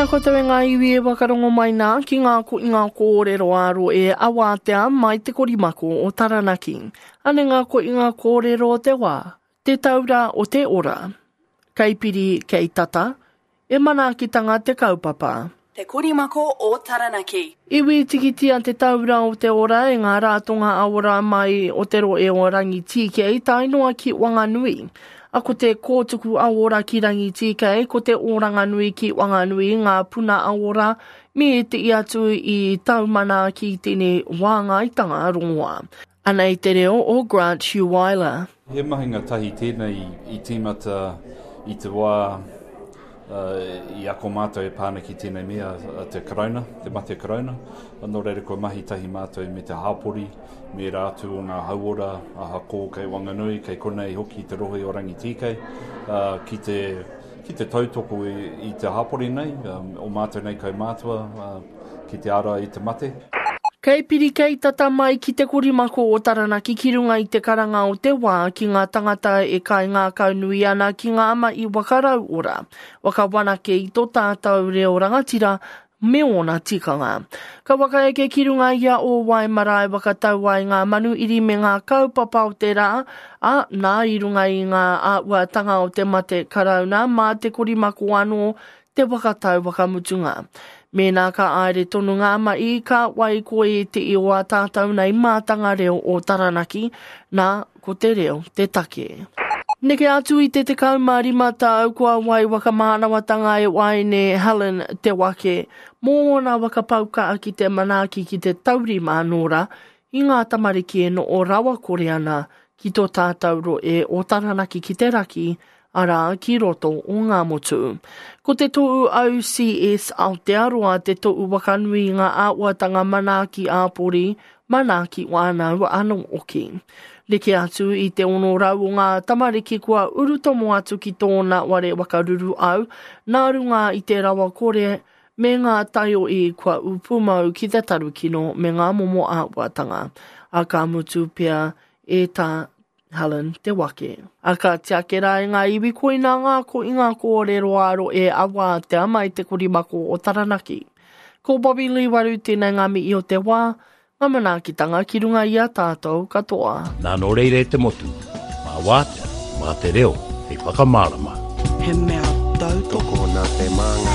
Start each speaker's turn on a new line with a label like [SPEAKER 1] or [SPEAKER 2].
[SPEAKER 1] Tēnā koutou e ngā iwi e whakarongo mai nā ki ngā ko i ngā kōrero ā-rohe awātea mai te korimako o Taranaki. Ane ngā ko i ngā kōrero o te wā, te taura o te ora. Kei piri, kei tata, e manaakitanga te kaupapa.
[SPEAKER 2] Te Korimako o Taranaki.
[SPEAKER 1] Iwi tikitia te taura o te ora e ngā rātonga aora mai o te rohe o Rangitīkei tae noa ki Wanganui. A ko te kōtuku aora ki Rangitīkei, ko te Oranganui ki Wanganui ngā puna aora me ētehi atu i taumana ki tēnei wāngaitanga rongoā. Anei te reo o Grant Heuweiler.
[SPEAKER 3] He mahinga tahi tēnei i tīmata i te wā i ako mātou e pā ana ki tēnei mea te Karauna, te mate Karauna. Nō reira kua mahi tahi mātou me te hāpori, me ērā atu o ngā hauora, ahako kei Wanganui, kei konei hoki te rohe o Rangitīkei, ki te, ki te tautoko i te hāpori nei, o mātou nei kaumātua, ki te ārai i te mate.
[SPEAKER 1] Kei piri kei tata mai ki te korimako o Taranaki ki runga i te karanga o te wā ki ngā tangata e kaingākaunui ana ki ngā mahi waka rauora, waka wanake i to tātou reo rangatira me ōna tikanga. Ka whakaeke ki runga i a Ōwae marae whakatau ai ngā manuiri me ngā kaupapa o te rā, ā, nā i runga i ngā āhuatanga o te mate karauna mā te korimako anō te whakatau whakamutunga. Mēnā ka āere tonu ngā mahi, ka wai ko ētehi o ā tātou nei mātanga reo o Taranaki, nā, ko te reo te take. Neke atu i te 15 tau kua wai whakamānawatanga e Waeine Helen Te Wake mō ōna whakapau kaha ki te manaaki ki te taurima anō rā i ngā tamariki e noho rawakore ana ki tō tātou rohe o Taranaki ki te raki, arā, ki roto o Ngāmotu. Ko te tohu OCS Aotearoa te tohu wakanui i ngā āhuatanga manaaki ā-pori, manaaki whānau anō hoki. Neke atu i te 600 o ngā tamariki kua urutomo atu ki tōna ware wakaruru au, nā runga i te rawakore me ngā taiohi kua ū pūmau ki te tarukino me ngā momo āhuatanga, ā, ka mutu pea e tā Helen Te Wake. A ka tiake rā e ngā iwi koina ngā ko i ngā kōrero ā-rohe a Wātea mai te korimako o Taranaki. Ko Bobby Lee Waru tēnei ngā mihi o te wā, ngā manaakitanga ki runga i a tātou katoa.
[SPEAKER 4] Nā nō reira e te motu, mā Wātea, mā te reo hei whakamārama.
[SPEAKER 5] He mea tautoko.
[SPEAKER 6] Tokona te māngai.